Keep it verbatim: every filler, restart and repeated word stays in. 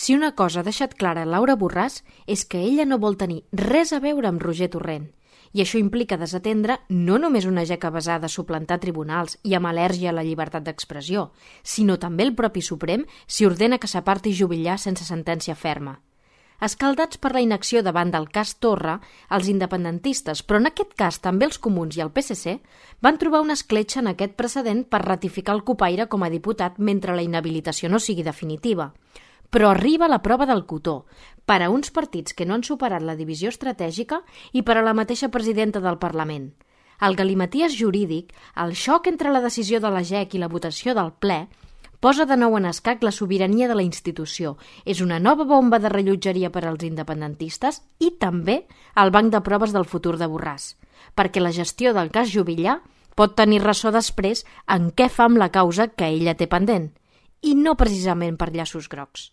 Si una cosa ha deixat clara Laura Borràs és que ella no vol tenir res a veure amb Roger Torrent, i això implica desatendre no només una jeca basada a suplantar tribunals i amb al·lèrgia a la llibertat d'expressió, sinó també el propi Suprem si ordena que s'aparti Juvillà sense sentència ferma. Escaldats per la inacció davant del cas Torra, els independentistes, però en aquest cas també els comuns i el P S C, van trobar una escletxa en aquest precedent per ratificar el copaire com a diputat mentre la inhabilitació no sigui definitiva. Però arriba la prova del cotó, per a uns partits que no han superat la divisió estratègica i per a la mateixa presidenta del Parlament. El galimaties jurídic, el xoc entre la decisió de la G E C i la votació del ple, posa de nou en escac la sobirania de la institució. És una nova bomba de rellotgeria per als independentistes i també el banc de proves del futur de Borràs, perquè la gestió del cas Juvillà pot tenir ressò després en què fa amb la causa que ella té pendent, i no precisament per llaços grocs.